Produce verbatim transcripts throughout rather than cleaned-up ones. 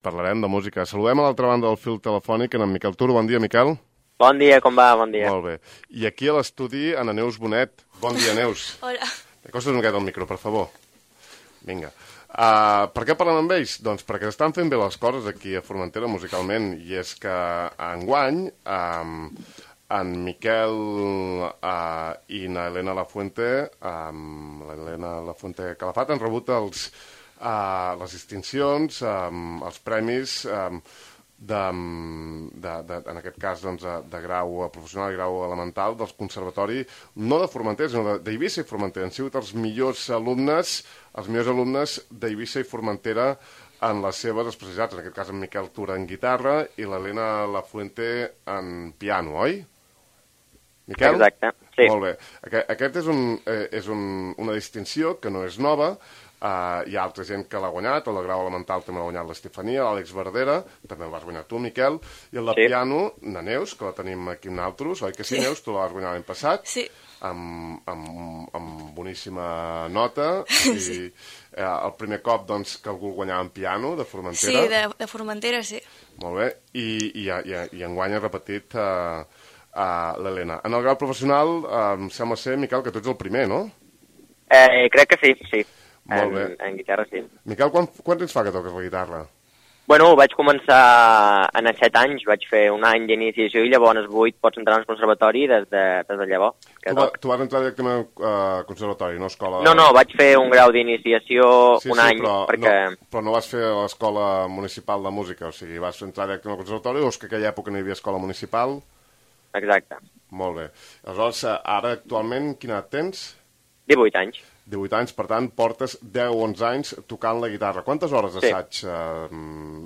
Parlarem de música. Saludem a l'altra banda del fil telefònic en Miquel Tur. Bon dia, Miquel. Bon dia, com va? Bon dia. Molt bé. I aquí a l'estudi, Ana Neus Bonet. Bon dia, Neus. Hola. Acostes una miqueta al micro, per favor. Vinga. Uh, per què parlem amb ells? Doncs perquè estan fent bé les coses aquí a Formentera musicalment, i és que enguany um, en Miquel uh, i na Helena Lafuente, um, l'Helena Lafuente Calafat, han rebut els, uh, les distincions, um, els premis um, de, de, de, en aquest cas doncs, de, de grau professional i grau elemental dels conservatori, no de Formentera, sinó d'Eivissa i Formentera. Han sigut els millors alumnes, els millors alumnes d'Eivissa i Formentera en les seves especialitats, en aquest cas en Miquel Tura en guitarra i l'Helena Lafuente en piano, oi? Miquel? Exacte, sí. Molt bé. Aquest, aquest és, un, eh, és un, una distinció que no és nova. Uh, hi ha altra gent que l'ha guanyat, el de grau elemental també l'ha guanyat l'Estefania, l'Àlex Verdera, també el vas guanyar tu, Miquel, i el de sí. piano, na Neus, que la tenim aquí nosaltres, oi que sí, sí. Neus? Tu la vas guanyar l'any passat, sí. amb, amb, amb boníssima nota, i sí. eh, el primer cop doncs, que algú guanyava en piano, de Formentera. Sí, de, de Formentera, sí. Molt bé, i, i, i, i enguany ha repetit uh, uh, l'Helena. En el grau professional, uh, em sembla ser, Miquel, que tu ets el primer, no? Eh, crec que sí, sí. Molt en, bé. En guitarra, sí. Miquel, quan, quan temps fa que toques la guitarra? Bueno, vaig començar en els set anys, vaig fer un any d'iniciació i llavors als vuit pots entrar al conservatori des de, des de llavors. Tu, va, tu vas entrar directament al uh, conservatori, no a escola... No, no, vaig fer un grau d'iniciació sí, un sí, any, però perquè... No, però no vas fer a l'escola municipal de música, o sigui, vas entrar directament al conservatori o és que en aquella època no hi havia escola municipal? Exacte. Molt bé. Aleshores, ara actualment, quina edat tens? divuit anys. divuit anys, per tant, portes deu o onze anys tocant la guitarra. Quantes hores d'assaig sí. eh,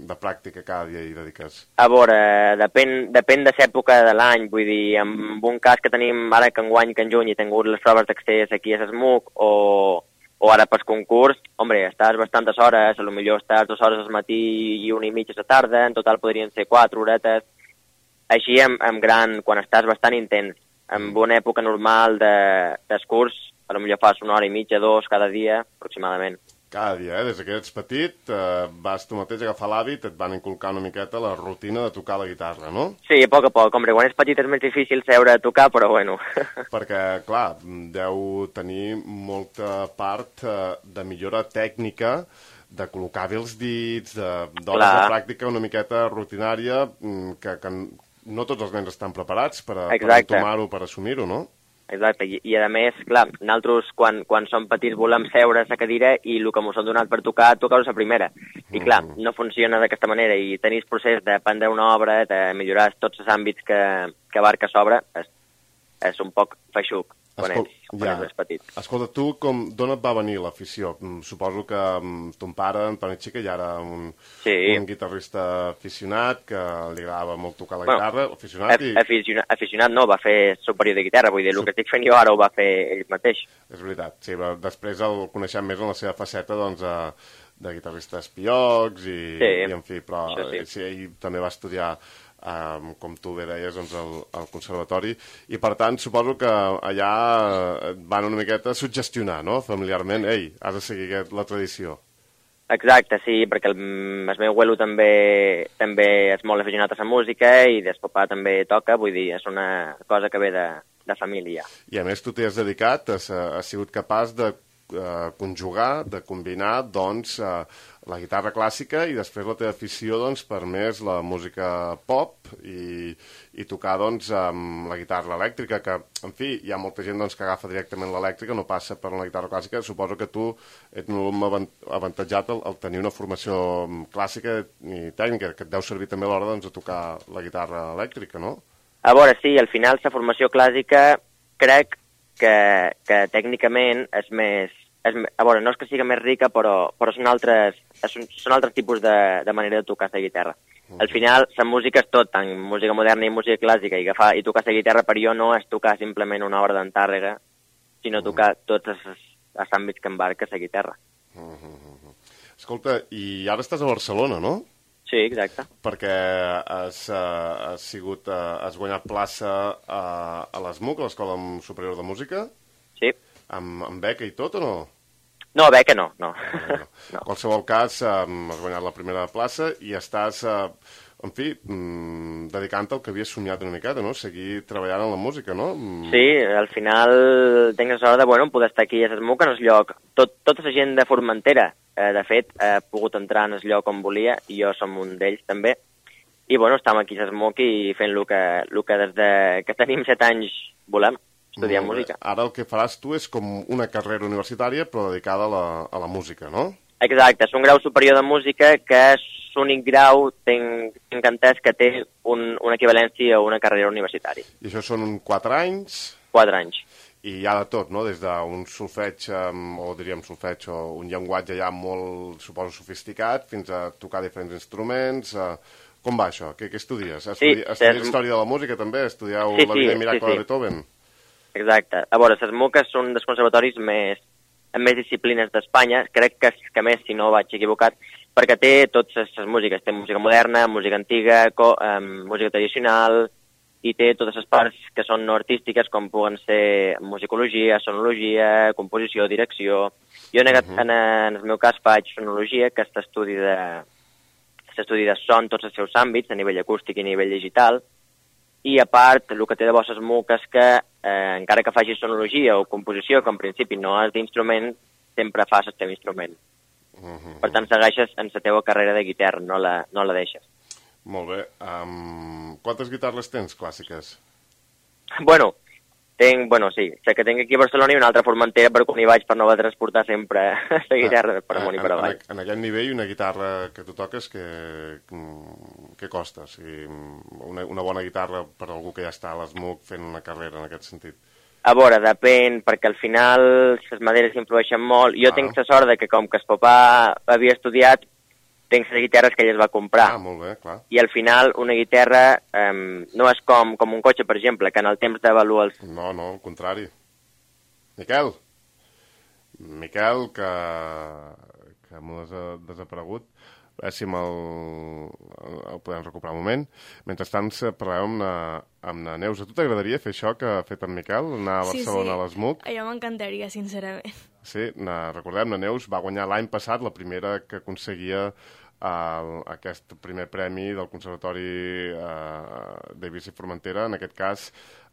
de pràctica cada dia hi dediques? A veure, depèn, depèn de l'època de l'any, vull dir, en un cas que tenim ara que enguany, que en juny, he tingut les proves d'accés aquí a l'ESMUC o, o ara pel concurs, hombre, estàs bastantes hores, a lo millor estàs dues hores al matí i una i mitja a la tarda, en total podrien ser quatre horetes, així en, en gran, quan estàs bastant intens, en una època normal de, del curs, a lo millor fas una hora i mitja, dos, cada dia, aproximadament. Cada dia, eh? Des que ets petit, eh, vas tu mateix agafar l'hàbit, et van inculcar una miqueta la rutina de tocar la guitarra, no? Sí, a poc a poc. Hombre, quan és petit és més difícil seure a tocar, però bueno. Perquè, clar, deu tenir molta part eh, de millora tècnica, de col·locar bé els dits, d'hores de pràctica una miqueta rutinària, que, que no tots els nens estan preparats per, a, per entomar-ho, per assumir-ho, no? Exacte, I, i a més, clar, nosaltres quan, quan som petits volem seure a la cadira i el que ens han donat per tocar, tocar-ho a la primera. I clar, no funciona d'aquesta manera i tenir el procés d'aprendre una obra, de millorar tots els àmbits que, que abarca l'obra, és, és un poc feixuc quan, Escol... ets, quan ja. ets més petit. Escolta, tu com, d'on et va venir l'afició? Suposo que ton pare, Antoni Xica, ja era un, sí. un guitarrista aficionat, que li agradava molt tocar la guitarra, bueno, aficionat i... Aficionat, aficionat no, va fer superior de guitarra, vull dir, el que estic fent jo ara ho va fer ell mateix. És veritat, sí, però després el coneixem més en la seva faceta, doncs, de guitarrista espiocs i, sí, i en fi, però sí. sí, ell també va estudiar Um, com tu bé deies, doncs, al, al conservatori, i per tant suposo que allà et van una miqueta suggestionar, no?, familiarment, ei, has de seguir aquest, la tradició. Exacte, sí, perquè el, el meu abuelo també, també és molt aficionat a la música i el papà també toca, vull dir, és una cosa que ve de, de família. I a més tu t'hi has dedicat, has, has sigut capaç de uh, conjugar, de combinar, doncs, uh, la guitarra clàssica i després la teva afició, doncs, per més la música pop i, i tocar, doncs, amb la guitarra elèctrica, que, en fi, hi ha molta gent, doncs, que agafa directament l'elèctrica, no passa per la guitarra clàssica. Suposo que tu ets molt avantatjat al, al tenir una formació clàssica i tècnica, que et deu servir també a l'hora, doncs, de tocar la guitarra elèctrica, no? A veure, sí, al final la formació clàssica crec que, que tècnicament és més... És, a veure, no és que sigui més rica, però, però són, altres, són, són altres tipus de, de manera de tocar la guitarra. Uh -huh. Al final, la música és tot, tant música moderna i música clàssica, i, agafar, i tocar la guitarra per jo no és tocar simplement una obra d'entàrrega, sinó tocar uh -huh. tots els, els àmbits que embarca la guitarra. Uh -huh. Escolta, i ara estàs a Barcelona, no? Sí, exacte. Perquè has, uh, has, sigut, uh, has guanyat plaça a, a l'ESMUC, a l'Escola Superior de Música? Sí. Amb, amb beca i tot, o no? No, beca no, no. No. no. En qualsevol cas, eh, has guanyat la primera plaça i estàs, eh, en fi, mm, dedicant-te al que havies somiat una miqueta, no? Seguir treballant en la música, no? Mm. Sí, al final tinc la sort de bueno, poder estar aquí a Sesmuc, en el lloc. Tot, tota la gent de Formentera, eh, de fet, ha pogut entrar en el lloc on volia, i jo som un d'ells també. I bueno, estem aquí a Sesmuc i fent el que, el que des de que tenim set anys volem. Estudiar música. Ara el que faràs tu és com una carrera universitària però dedicada a la, a la música, no? Exacte, és un grau superior de música que és l'únic grau, tinc, tinc entès, que té un, una equivalència a una carrera universitària. I això són quatre anys? Quatre anys. I hi ha de tot, no? Des d'un solfeig, o diríem solfeig, o un llenguatge ja molt, suposo, sofisticat, fins a tocar diferents instruments. Com va això? Què, què estudies? Estudi... Sí, estudies és... història de la música també? Estudieu sí, la vida sí, i miracle sí, sí. de Beethoven? Exacte. A veure, Sesmuc és un dels conservatoris més, amb més disciplines d'Espanya, crec que, que més, si no vaig equivocat, perquè té totes les músiques. Té música moderna, música antiga, co, um, música tradicional, i té totes les parts que són no artístiques, com puguen ser musicologia, sonologia, composició, direcció. Jo, en, uh -huh. en, en el meu cas, faig sonologia, que és l'estudi de, l'estudi de son, tots els seus àmbits, a nivell acústic i a nivell digital. I a part, el que té de bo Sesmuc és que, eh, encara que facis sonologia o composició, que en principi no és d'instrument, sempre fas el teu instrument. Uh -huh. Per tant, segueixes en la teva carrera de guitarra, no la, no la deixes. Molt bé. Um, quantes guitarres tens clàssiques? Bueno, tinc, bueno, sí, sé que tinc aquí a Barcelona i una altra a Formentera, però quan hi vaig per no haver de transportar sempre la guitarra per amunt i per avall. En, en, en aquest nivell, una guitarra que tu toques, que, que costa? O sigui, una, una bona guitarra per algú que ja està a l'Smuc fent una carrera en aquest sentit? A veure, depèn, perquè al final les maderes influeixen molt. Jo ah. tinc la sort de que, com que el papà havia estudiat, tinc les guitarres que ell es va comprar. Ah, molt bé, clar. I al final una guitarra um, no és com, com un cotxe, per exemple, que en el temps d'avaluar els... No, no, al contrari. Miquel. Miquel, que, que m'ho has desaparegut. A veure si me'l el podem recuperar un moment. Mentrestant parlem amb na, amb na Neus. A tu t'agradaria fer això que ha fet en Miquel? Anar a Barcelona sí, sí. a l'Smuc? Sí, allò m'encantaria, sincerament. Sí, na, recordem, la Neus va guanyar l'any passat la primera que aconseguia uh, aquest primer premi del Conservatori uh, Davis i Formentera, en aquest cas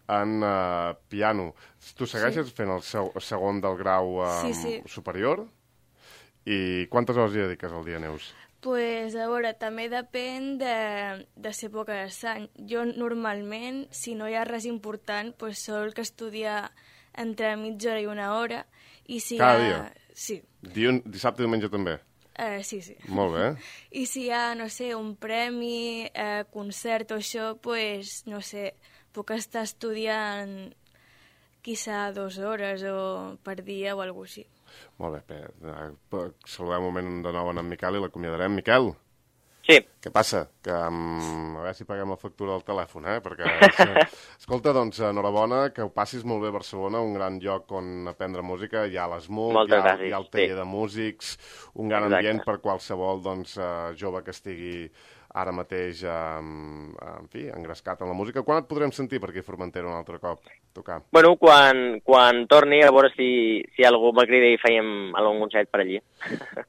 en uh, piano. Tu segueixes sí. fent el, seu, el segon del grau uh, sí, sí. superior? I quantes hores hi dediques al dia, Neus? Pues, a veure, també depèn de, de l'època de l'any. Jo, normalment, si no hi ha res important, pues, sol que estudiar entre mitja hora i una hora. I si Cada ha... dia? Sí. Diun, dissabte i diumenge també? Uh, sí, sí. Molt bé. I si hi ha, no sé, un premi, uh, concert o això, pues, no sé, puc estar estudiant quizá dues hores o per dia o alguna cosa així. Molt bé, bé. Saludem un moment de nou en Miquel i l'acomiadarem. Miquel? Sí. Què passa? Que, um, a veure si paguem la factura del telèfon, eh? Perquè, escolta, doncs, enhorabona, que ho passis molt bé a Barcelona, un gran lloc on aprendre música, hi ha l'Smuc, hi, ha, hi ha el taller sí. de músics, un gran Exacte. ambient per qualsevol doncs, uh, jove que estigui ara mateix, um, en fi, engrescat en la música. Quan et podrem sentir per aquí a Formentera un altre cop, tocar? Bueno, quan, quan torni, a veure si, si algú me crida i fèiem algun concert per allí.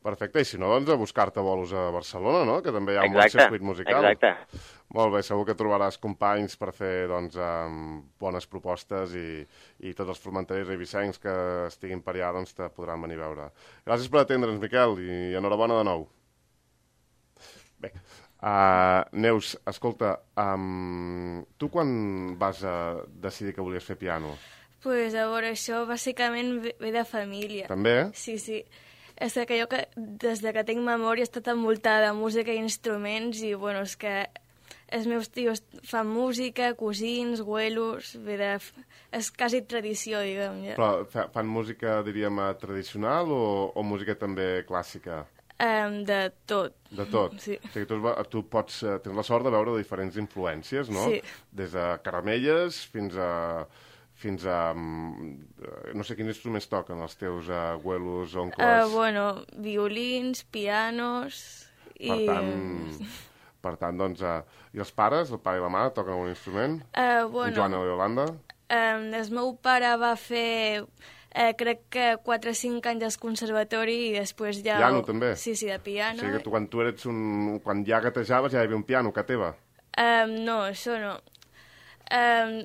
Perfecte, i si no, doncs a buscar-te bolos a Barcelona, no?, que també hi ha un exacte, bon circuit musical. Exacte. Molt bé, segur que trobaràs companys per fer, doncs, um, bones propostes i, i tots els formenterers i vicencs que estiguin per allà, doncs, te podran venir a veure. Gràcies per atendre'ns, Miquel, i enhorabona de nou. Bé. Uh, Neus, escolta, um, tu quan vas a decidir que volies fer piano? Pues a veure, això bàsicament ve de família. També? Sí, sí. És que jo que, des de que tinc memòria he estat envoltada de música i instruments i, bueno, és que els meus tios fan música, cosins, güelos, ve de... és quasi tradició, diguem. Ja. Però fan música, diríem, tradicional o, o música també clàssica? Um, de tot. De tot? Sí. O sigui, tu, tu pots, tens la sort de veure diferents influències, no? Sí. Des de caramelles fins a... fins a... no sé quins instruments toquen els teus abuelos, oncles... Uh, bueno, violins, pianos... Per i... tant, per tant, doncs... Uh, I els pares, el pare i la mare, toquen algun instrument? Uh, bueno... En Joan i Yolanda? Um, el meu pare va fer Eh, crec que quatre o cinc anys al conservatori i després ja... Piano, també? Sí, sí, de piano. O sigui que tu, quan tu eres un... quan ja gatejaves ja hi havia un piano a casa teva? Um, no, això no. Um,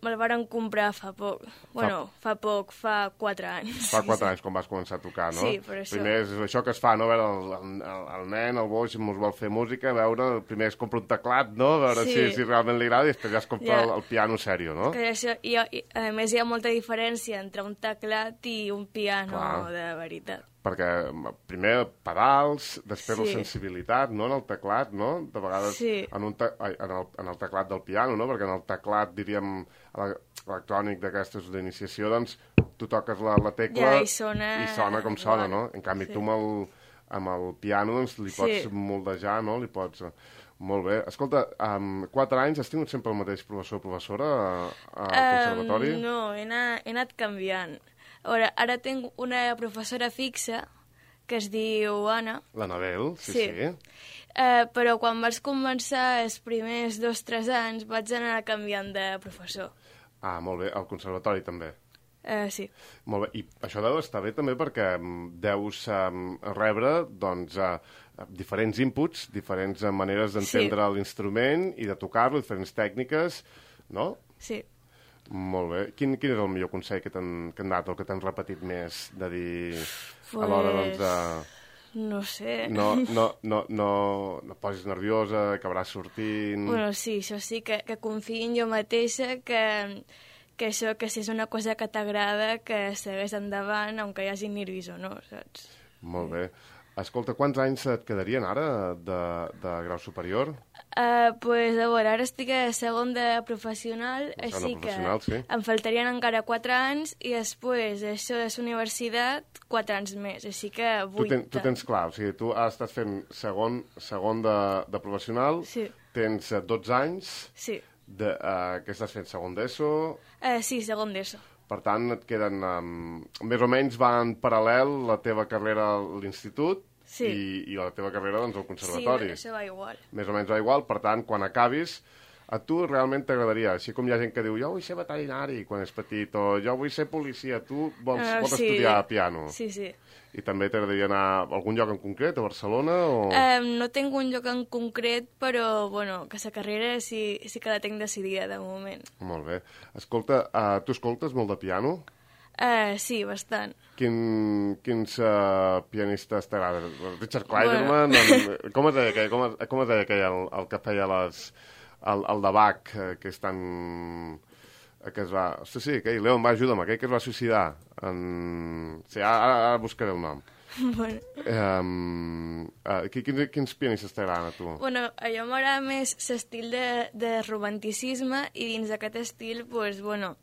me'l varen comprar fa poc. Bueno, fa... fa poc, fa quatre anys. Fa quatre anys, quan vas començar a tocar, no? Sí, per això. Primer és això que es fa, no? A veure, el, el, el nen, el boix, mos vol fer música, a veure, primer es compra un teclat, no? A veure sí. si, si realment li agrada i després ja es compra ja. el, el piano sèrio, no? Que això, i, i, a més, hi ha molta diferència entre un teclat i un piano Clar. de veritat. Perquè primer pedals, després sí. la sensibilitat, no?, en el teclat, no? De vegades sí. en, un te ai, en, el, en el teclat del piano, no? Perquè en el teclat, diríem, electrònic d'aquestes d'iniciació, doncs, tu toques la, la tecla ja, i, sona... i sona com sona, no? En canvi, sí. tu amb el, amb el piano, doncs, li pots sí. moldejar, no? Li pots... Molt bé. Escolta, amb quatre anys has tingut sempre el mateix professor o professora al conservatori? Um, no, he anat, he anat canviant. Ara, ara tinc una professora fixa que es diu Anna. L'Anabel, sí, sí. sí. Uh, però quan vaig començar els primers dos o tres anys vaig anar canviant de professor. Ah, molt bé. Al conservatori també? Uh, sí. Molt bé. I això deu estar bé també perquè deus um, rebre, doncs, uh, diferents inputs, diferents maneres d'entendre sí. l'instrument i de tocar-lo, diferents tècniques, no? Sí. Molt bé. Quin, quin és el millor consell que t'han dat o que t'han repetit més de dir pues... a l'hora, doncs, de... No sé. No, no, no, no, no posis nerviosa, acabaràs sortint... Bueno, sí, això sí, que, que confiï en jo mateixa, que, que això, que si és una cosa que t'agrada, que segueix endavant, aunque hi hagi nervis o no, saps? Molt bé. Escolta, quants anys et quedarien ara de, de grau superior? Uh, pues, a veure, ara estic a segon de professional, a així professional, que sí. em faltarien encara quatre anys i després, això de la universitat, quatre anys més, així que vuit. Tu, ten, tu tens clar, o sigui, tu has estat fent segon, segon de, de professional, sí. tens dotze anys, sí. de, uh, que estàs fent segon d'ESO... Uh, sí, segon d'ESO. Per tant, et queden... Um, més o menys va en paral·lel la teva carrera a l'institut sí. i, i la teva carrera doncs, al conservatori. Sí, això va igual. Més o menys va igual, per tant, quan acabis, a tu realment t'agradaria, així com hi ha gent que diu jo vull ser veterinari quan és petit, o jo vull ser policia, tu vols, uh, vols sí. estudiar piano. Sí, sí. I també t'agradaria anar a algun lloc en concret, a Barcelona? O... Um, no tinc un lloc en concret, però, bueno, que la carrera sí, sí que la tinc decidida de moment. Molt bé. Escolta, uh, tu escoltes molt de piano? Uh, sí, bastant. Quin, quins uh, pianistes t'agraden? Richard Clayderman? Bueno. En, com es deia aquell, com es, com es deia aquell el, el que feia les, el, el de Bach, que és tan... que es va... Sí, sí, aquell, Leon, va, ajuda'm, aquell que es va suïcidar. En... Sí, ara, ara buscaré el nom. Bueno. Um, uh, quins, quins pianistes t'agraden a tu? Bueno, a jo m'agrada més l'estil de, de romanticisme i dins d'aquest estil, pues, bueno,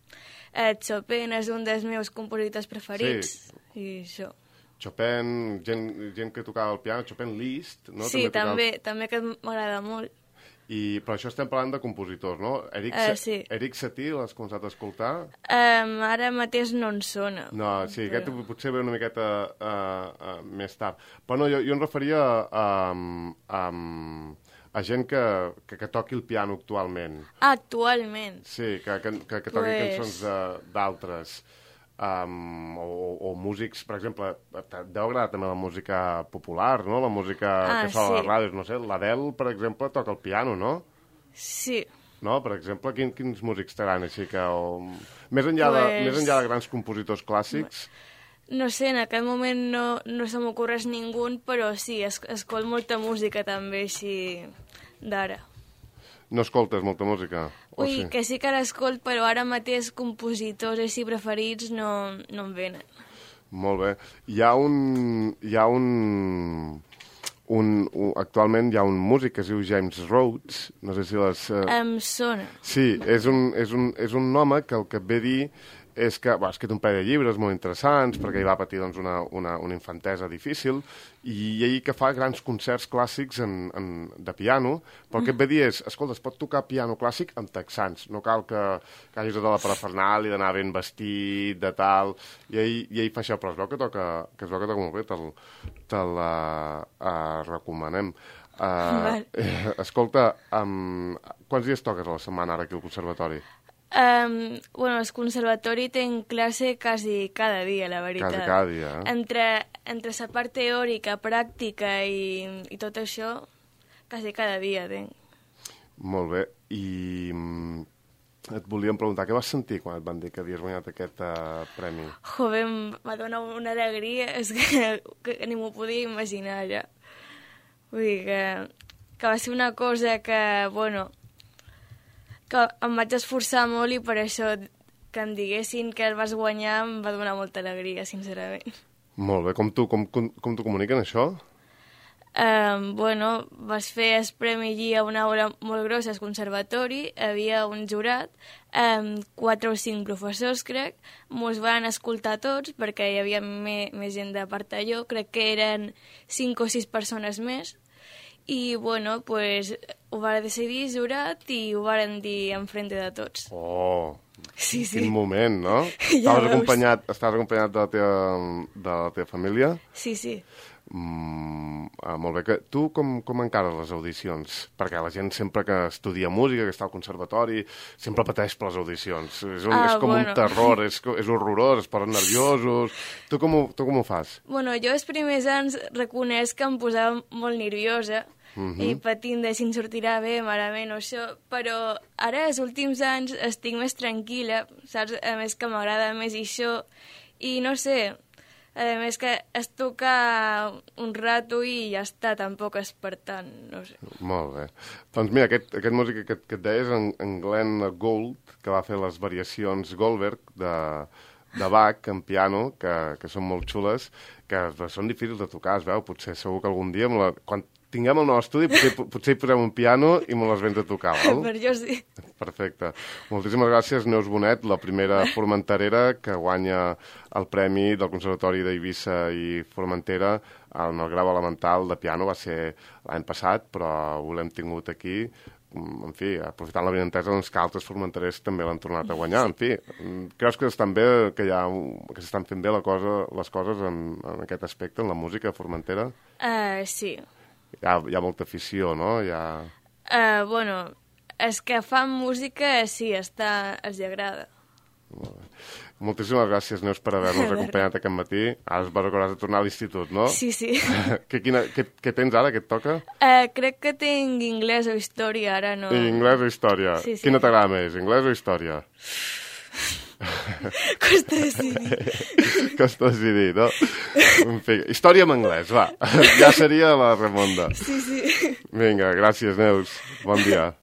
eh, Chopin és un dels meus compositors preferits sí. i això. Chopin, gent, gent que tocava el piano, Chopin Liszt, no? Sí, també, tocava... també que m'agrada molt. I, però això estem parlant de compositors, no? Eric, uh, sí. Eric Satie, l'has començat a escoltar? Um, ara mateix no en sona. No, sí, però... aquest potser ve una miqueta uh, uh, més tard. Però no, jo, jo em referia a, a, a gent que, que, que toqui el piano actualment. Ah, actualment? Sí, que, que, que, que toqui pues... cançons d'altres. Um, o, o músics, per exemple, deu agradar també la música popular, no? La música ah, que fa sí. a les ràdios, no sé, l'Adele, per exemple, toca el piano, no? Sí. No? Per exemple, quin, quins músics t'agraden així que... O... Més, enllà pues... de, més enllà de grans compositors clàssics... No sé, en aquest moment no, no se m'ocorreix ningú, però sí, es, escolt molta música també així d'ara. No escoltes molta música? Ui, sí? que sí que l'escolt, però ara mateix compositors així preferits no, no em venen. Molt bé. Hi ha un... Hi ha un, un, un... Actualment hi ha un músic que es diu James Rhodes, no sé si les... Uh... Em sona. Sí, és un, és, un, és un home que el que et ve a dir és que ha escrit un parell de llibres molt interessants perquè ell va patir doncs, una, una, una infantesa difícil i ell que fa grans concerts clàssics en, en, de piano, però el que et ve a dir és, escolta, es pot tocar piano clàssic amb texans, no cal que, que hagis de la parafernal i d'anar ben vestit, de tal, i ell, i ell fa això, però es veu que toca, que es veu que toca molt bé, te'l te uh, uh, recomanem. Uh, eh, escolta, um, quants dies toques a la setmana ara aquí al conservatori? Um, bueno, el conservatori tenc classe quasi cada dia, la veritat. Quasi cada dia, eh? Entre, entre la part teòrica, pràctica i, i tot això, quasi cada dia tenc. Molt bé. I mm, et volíem preguntar, què vas sentir quan et van dir que havies guanyat aquest uh, premi? Joder, em va donar una alegria, és que, que ni m'ho podia imaginar ja. Vull dir que, que va ser una cosa que, bueno, que em vaig esforçar molt i per això que em diguessin que el vas guanyar em va donar molta alegria, sincerament. Molt bé. Com tu, com, com, com t'ho comuniquen, això? Um, bueno, vas fer el premi allí a una hora molt grossa al conservatori, hi havia un jurat, um, quatre o cinc professors, crec, mos van escoltar tots perquè hi havia me, més gent de part d'allò, crec que eren cinc o sis persones més, i, bueno, pues, ho va decidir el jurat i ho varen dir enfrente de tots. Oh, sí, sí. Quin moment, no? Ja estaves, veus. acompanyat, estaves acompanyat de la teva, de la teva família? Sí, sí. Mm, ah, molt bé. Que, tu com, com encares les audicions? Perquè la gent sempre que estudia música, que està al conservatori, sempre pateix per les audicions. És, un, Ah, és com bueno. un terror, és, co- és horrorós, es posen nerviosos. Tu com, ho, tu com ho fas? Bueno, jo els primers anys reconeix que em posava molt nerviosa Mhm. i patint de si em sortirà bé, malament o això, però ara, els últims anys, estic més tranquil·la, saps? A més que m'agrada més això, i no sé, a més que es toca un rato i ja està, tampoc és per tant, no sé. Molt bé. Doncs mira, aquest, aquest músic que, que et deia és en, en Glenn Gould, que va fer les variacions Goldberg de, de Bach en piano, que, que són molt xules, que són difícils de tocar, es veu, potser segur que algun dia, amb la, quan tinguem el nou estudi, potser, potser hi posem un piano i me les vens a tocar, val? Per jo sí. Perfecte. Moltíssimes gràcies, Neus Bonet, la primera formenterera que guanya el premi del Conservatori d'Eivissa i Formentera en el grau elemental de piano. Va ser l'any passat, però ho l'hem tingut aquí. En fi, aprofitant la benentesa, doncs, que altres formenterers també l'han tornat a guanyar. En fi, creus que estan bé, que hi ha, que s'estan fent bé la cosa, les coses en, en aquest aspecte, en la música formentera? Uh, sí. Hi ha, hi ha molta afició, no? Hi ha... Uh, bueno, els que fan música sí, està, els hi agrada. Moltíssimes gràcies, Neus, per haver-nos acompanyat aquest matí. Ara es va recordar de tornar a l'institut, no? Sí, sí. què, quina, què, què tens ara, què et toca? Uh, crec que tinc anglès o història, ara no... I anglès o història? Sí, sí. Quina t'agrada més, anglès o història? Costa decidir. Costa decidir, no? En fi, història en anglès, va. Ja seria la remonda. Sí, sí. Vinga, gràcies, Neus. Bon dia.